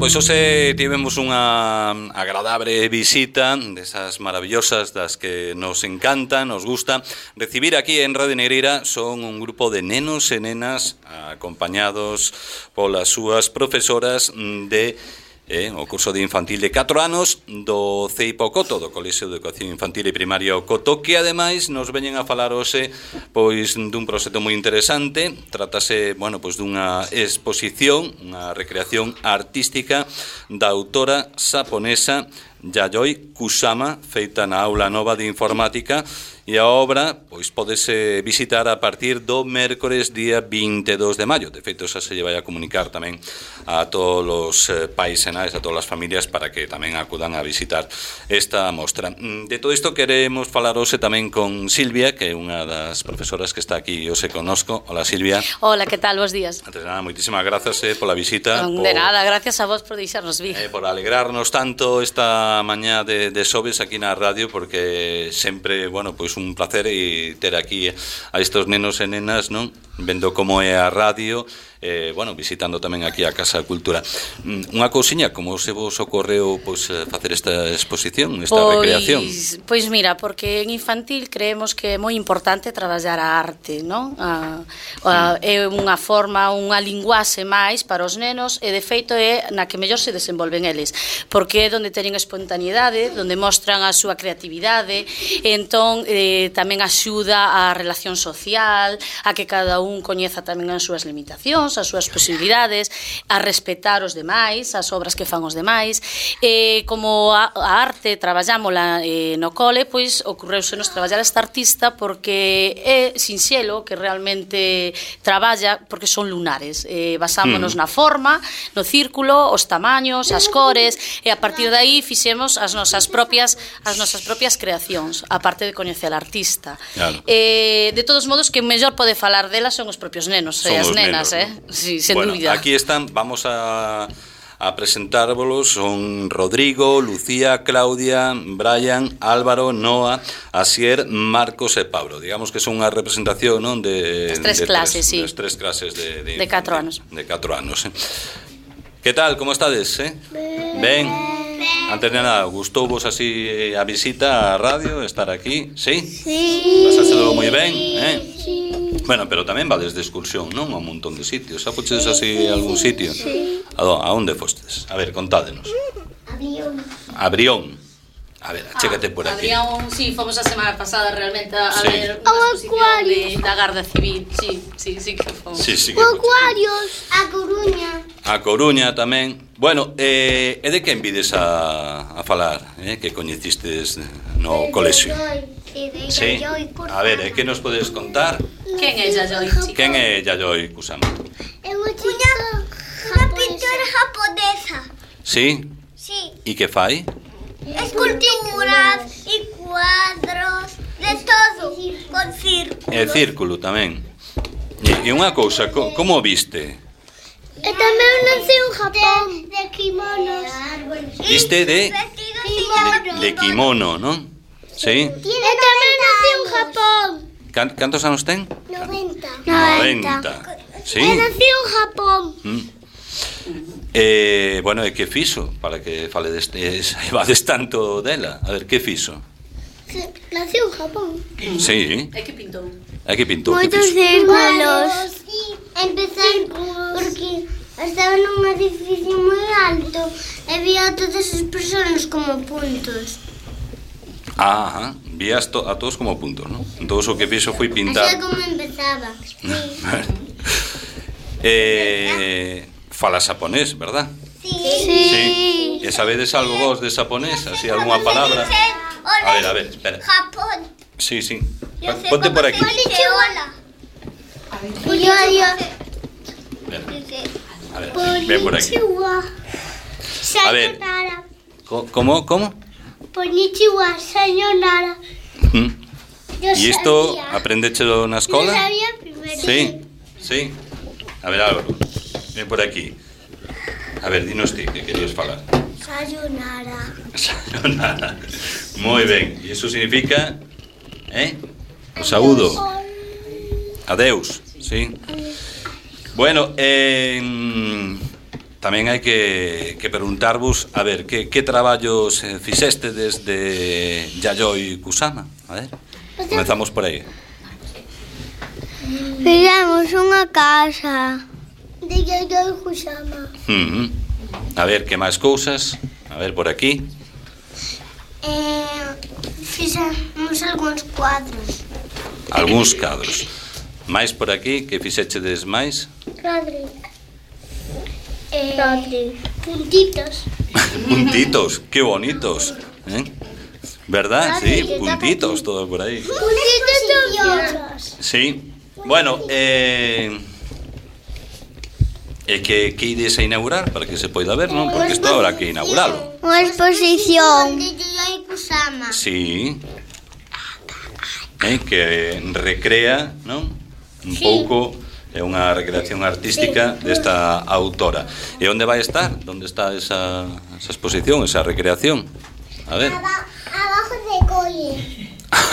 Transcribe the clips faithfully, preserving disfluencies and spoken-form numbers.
pois hoxe tivemos unha agradable visita desas maravillosas das que nos encantan, nos gusta recibir aquí en Radio Negreira. Son un grupo de nenos e nenas acompañados polas súas profesoras de Eh, o curso de infantil de catro anos do C I P O Coto, do Colexio de Educación Infantil e Primaria o Coto, que ademais nos veñen a falar hoxe pois dun proxecto moi interesante. Trátase, bueno, pois dunha exposición, unha recreación artística da autora xaponesa Yayoi Kusama, feita na aula nova de informática, e a obra pois podese visitar a partir do mércores día vinte e dous de maio. De feito, xa se lle vai a comunicar tamén a todos os eh, pais e nais, a todas as familias, para que tamén acudan a visitar esta mostra. De todo isto queremos falar hoxe tamén con Silvia, que é unha das profesoras que está aquí hoxe connosco. Hola, Silvia. Hola, que tal? Bos días. Antes de nada, moitísimas grazas eh, pola visita. De por, nada, gracias a vos por deixarnos vir. Eh, por alegrarnos tanto esta mañá de, de xoves aquí na radio, porque sempre, bueno, pois un placer e ter aquí a estos nenos e nenas, non? Vendo como é a radio, eh, bueno, visitando tamén aquí a Casa de Cultura. Unha cousiña, como se vos ocorreu pois facer esta exposición, esta pois, recreación? Pois mira, porque en infantil creemos que é moi importante traballar a arte, non? A, a, é unha forma, unha linguaxe máis para os nenos, e de feito é na que mellor se desenvolven eles, porque é onde teñen espontaneidade, onde mostran a súa creatividade, e entón eh, tamén axuda á relación social, a que cada un coñeza tamén as súas limitacións, as súas posibilidades, a respetar os demais, as obras que fan os demais. E como a, a arte traballámola eh, no cole, pois ocorreusenos traballar esta artista porque é sinxelo, que realmente traballa, porque son lunares. Eh, basámonos mm. na forma, no círculo, os tamaños, as cores, e a partir de aí fixemos as nosas propias as nosas propias creacións, a parte de coñecer al artista. Claro. Eh, de todos modos, que mellor pode falar delas son os propios nenos e as nenas, nenos, eh? ¿no? Sí, sen bueno, dúbida. Aquí están, vamos a, a presentárvolos. Son Rodrigo, Lucía, Claudia, Brian, Álvaro, Noa, Asier, Marcos e Pablo. Digamos que son unha representación, non, de, as tres de clases, tres, sí. Das tres clases de, de, de catro anos. De catro anos, eh? Que tal, como estades, eh? Ben. Antes de nada, gustou-vos así a visita á radio, estar aquí, sí? Sí. Pasáchelo moi ben, eh? Sí. Bueno, pero tamén vades de excursión, non? A un montón de sitios. Xa fochedes así a algún sitio? Sí. A, a onde fostes? A ver, contádenos. A Brión. A Brión. A ver, chécate por aquí. A Brión, sí, fomos a semana pasada realmente a sí. ver unha exposición de, da Garda Civil. Sí, sí, sí que fomos. Sí, sí que o Acuarios. A Coruña. A Coruña tamén. Bueno, eh, e de quen vides a, a falar, eh, que coñecistes no colexio? Sí. A ver, eh, que nos podes contar? Quen é Yayoi? Quen é Yayoi Kusama? É unha unha pintora japonesa. Sí? Sí. E que fai? Esculturas e cuadros, de todo, con círculos. E círculo tamén. E, e unha cousa, co, como o viste? E tamén nací en Japón. De, de kimonos. Viste de? De, de kimono, non? Sí? E tamén nací en Japón. Can, cantos anos ten? noventa. noventa. Sí? E nací en Japón. Mm. Eh, bueno, e que fixo para que fale deste, vades tanto dela? A ver, que fixo? Nací en Japón. Sí. E que pintou? E que pintou? Moitos círculos. Empecé porque estaba nun edificio moi alto e vía a todas as persoas como puntos. Ah, vías to, a todos como puntos, non? Entón o que fixo foi pintar. Así como empezaba. Sí. eh, fala xaponés, verdad? Sí. Sí. E sabedes algo vos de xaponés? Así, algunha palabra? A ver, a ver, espera. Japón. Sí, sí. Ponte por aquí. Hola. Yo, yo. A ver, ven por aquí. A ver. ¿Cómo? ¿Cómo? Konnichiwa, sayonara. ¿Y esto aprendéchelo na escola? Yo sabía primero. Sí, sí. A ver, Álvaro, ven por aquí. A ver, dinos ti, que querías falar. Sayonara. Sayonara. Moi ben. E iso significa, eh? O saúdo. Adeus, sí. Bueno, eh, tamén hai que, que preguntarvos, a ver, que, que traballos eh, fixeste desde Yayoi Kusama? A ver, comezamos por aí. Fizemos unha casa de Yayoi Kusama. Uh-huh. A ver, que máis cousas? A ver, por aquí. Eh, fixemos algúns cuadros. Algúns cadros. Mais por aquí, que fixechedes máis? Rodri. Eh, Rodri. Puntitos. Puntitos, que bonitos, ¿eh? ¿Verdad? Rodri, Sí, puntitos, todo por aí. Puntitos e outros. Sí. Bueno, eh... E que, que ides a inaugurar para que se poida ver, non? Porque isto habrá que inauguralo. Unha exposición de Yayoi Kusama. Sí. Eh, que recrea, non? Un Sí. pouco, é unha recreación artística desta autora. E onde vai estar? Onde está esa, esa exposición, esa recreación? A ver. Aba- abajo de cole.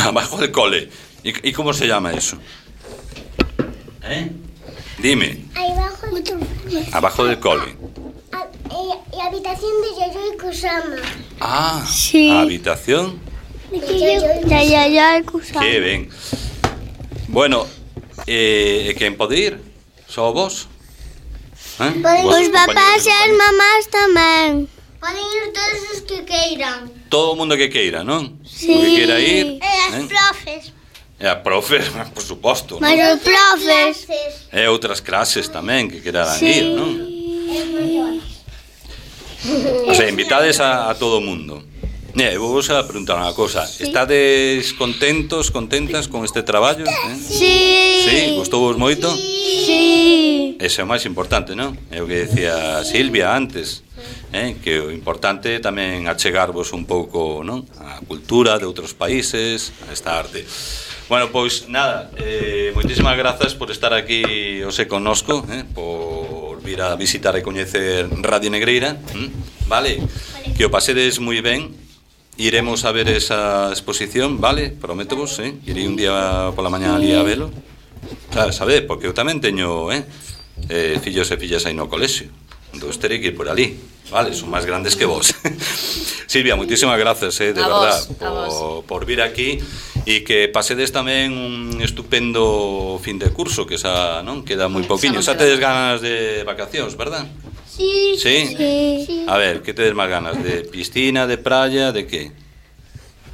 Abajo del cole. ¿Y, ¿Y cómo se llama eso? ¿Eh? Dime. Aí abajo Abajo del cole. a, e, e a habitación de Yayoi Kusama. Ah, Sí. a habitación. De Yayoi Kusama. Que ben. Bueno, eh, quen pode ir? Só vos? Eh? Vos, Os papás e as compañeros? mamás tamén. Poden ir todos os que queiran. Todo o mundo que queira, non? Sí. O que queira ir. E as eh? profes. E a profe, por suposto. Mas non? os profes. E outras clases tamén que queran ir, non? O sea, invitades a, a todo o mundo. Eh, vou vos a preguntar unha cosa. Estades contentos, contentas con este traballo? Eh? Sí. Sí, gustou vos moito? Sí. Ese é o máis importante, non? É o que decía Silvia antes, eh? Que o importante é tamén achegarvos un pouco, non? A cultura de outros países, a esta arte. Bueno, pois nada, eh, moitísimas grazas por estar aquí hoxe connosco, eh? Por vir a visitar e coñecer Radio Negreira, ¿m? Vale? Que o pasedes moi ben. Iremos a ver esa exposición, vale? Prométovos, eh? Irei un día pola mañá ali a velo. Claro, sabe, porque eu tamén teño, eh? eh fillos e fillas aí no colexio. Entón terei que ir por ali, vale? Son máis grandes que vos. Silvia, moitísimas grazas, eh, de A verdad, vos, a vos. por, por vir aquí e que pasedes tamén un estupendo fin de curso, que xa, non? Queda moi pouquiño. Xa tedes ganas de vacacións, verdad? Sí. Sí? Sí. A ver, que tedes máis ganas? De piscina, de praia, de que?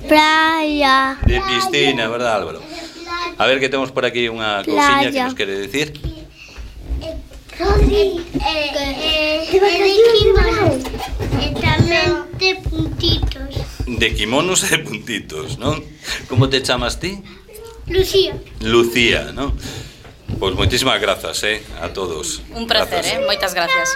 Playa. De piscina, verdad, Álvaro? A ver, que temos por aquí unha cousiña que Playa. nos quere decir. Rodri. Eh, eh, de kimonos. E tamén de puntitos. De kimonos e de puntitos, non? Como te chamas ti? Lucía. Lucía, non? Pois moitísimas grazas, eh, a todos. Un placer, Grazas. eh? Moitas gracias.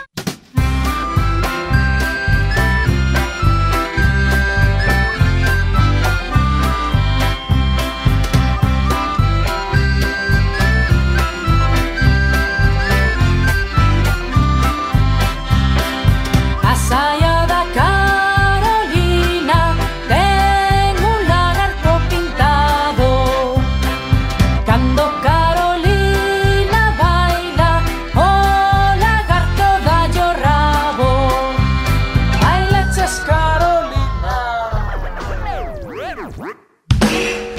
A saia da Carolina ten un lagarto pintado. Cando Carolina baila, o lagarto dallo rabo. Bailaches Carolina.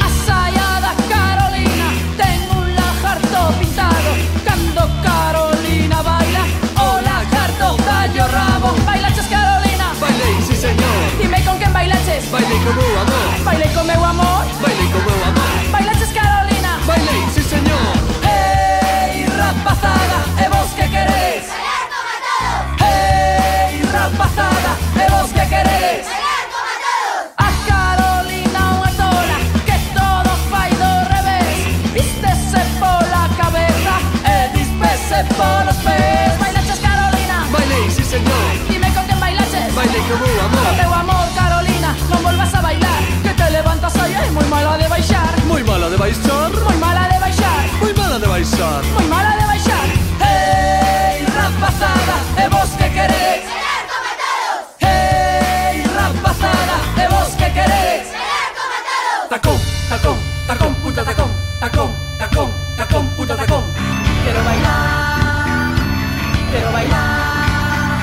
A saia da Carolina ten un lagarto pintado. Cando Carolina baila, o lagarto dallo rabo. Bailaches Carolina, Bailei, sí señor, dime con quen bailaches. bailei con meu amor, Bailei con meu amor. bailei con meu amor, Bailaches Carolina. bailei, sí señor. Hey, rapazada, e vos que queréis? Bailar como todos. Hey, rapazada, e vos que queréis? Bailar como todos. A Carolina unha tola que todo fai do revés. Vístese pola cabeza e dispese polos pés. Bailaches Carolina, Bailei, sí señor, dime con quen bailaches. bailei con meu Con amor, teu amor, Carolina, non volvas a bailar, que te levantas aí e moi mala de baixar. moi mala de baixar, Moi mala de baixar. moi mala de baixar. Moi mala de baixar. Hey, rapazada, e vos que queréis? Bailar como todos. Hey, rapazada, e vos que queréis? Bailar como todos. Tacón, tacón, tacón, puta tacón, tacón, tacón, tacón, puta tacón. Quiero bailar, quiero bailar,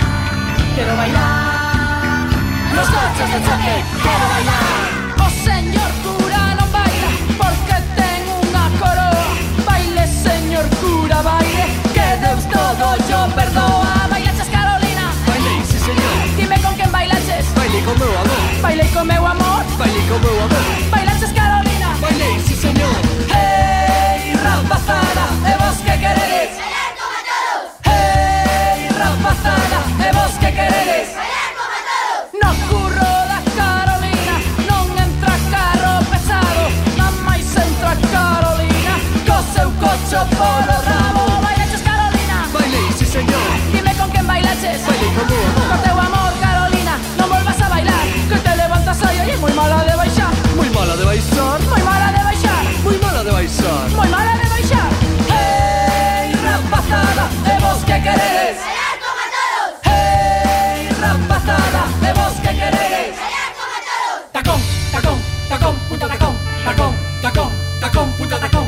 nos coches de choque, quero bailar. O señor cura non baila porque ten unha coroa. Baile, señor cura, baile, que Deus todo yo perdoa. Bailaches, Carolina? Bailei, sí señor. Dime con quen bailaches? Bailei con meu amor. Bailei con meu amor. Bailei con meu amor. Bailaches, Carolina? Bailei, sí señor. Hey, rapazada, e vos que queredes? Bailar como todos. Hey, rapazada, e vos que queredes? Bailar como todos. No curro da Carolina non entra carro pesado, non máis entra Carolina co seu cocho polo rabo. Bailaches, Carolina? Bailei, sí señor. Dime con quen bailaches? Bailei con meu amor. Co teu amor, Carolina, non volvas a bailar, que te levantas aí e moi mala de baixar. Moi mala de baixar. Moi mala de baixar. Moi mala de baixar. Moi mala de baixar. Hey, rapazada, e vos que queredes? Bailar como todos. Hey, rapazada, e vos que queredes? Bailar como todos. Tacón, tacón, tacón, puta tacón. Tacón, tacón, tacón, puta tacón.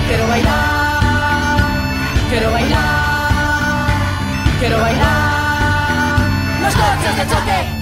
Quiero bailar, quiero bailar, quiero bailar. Los coches de choque.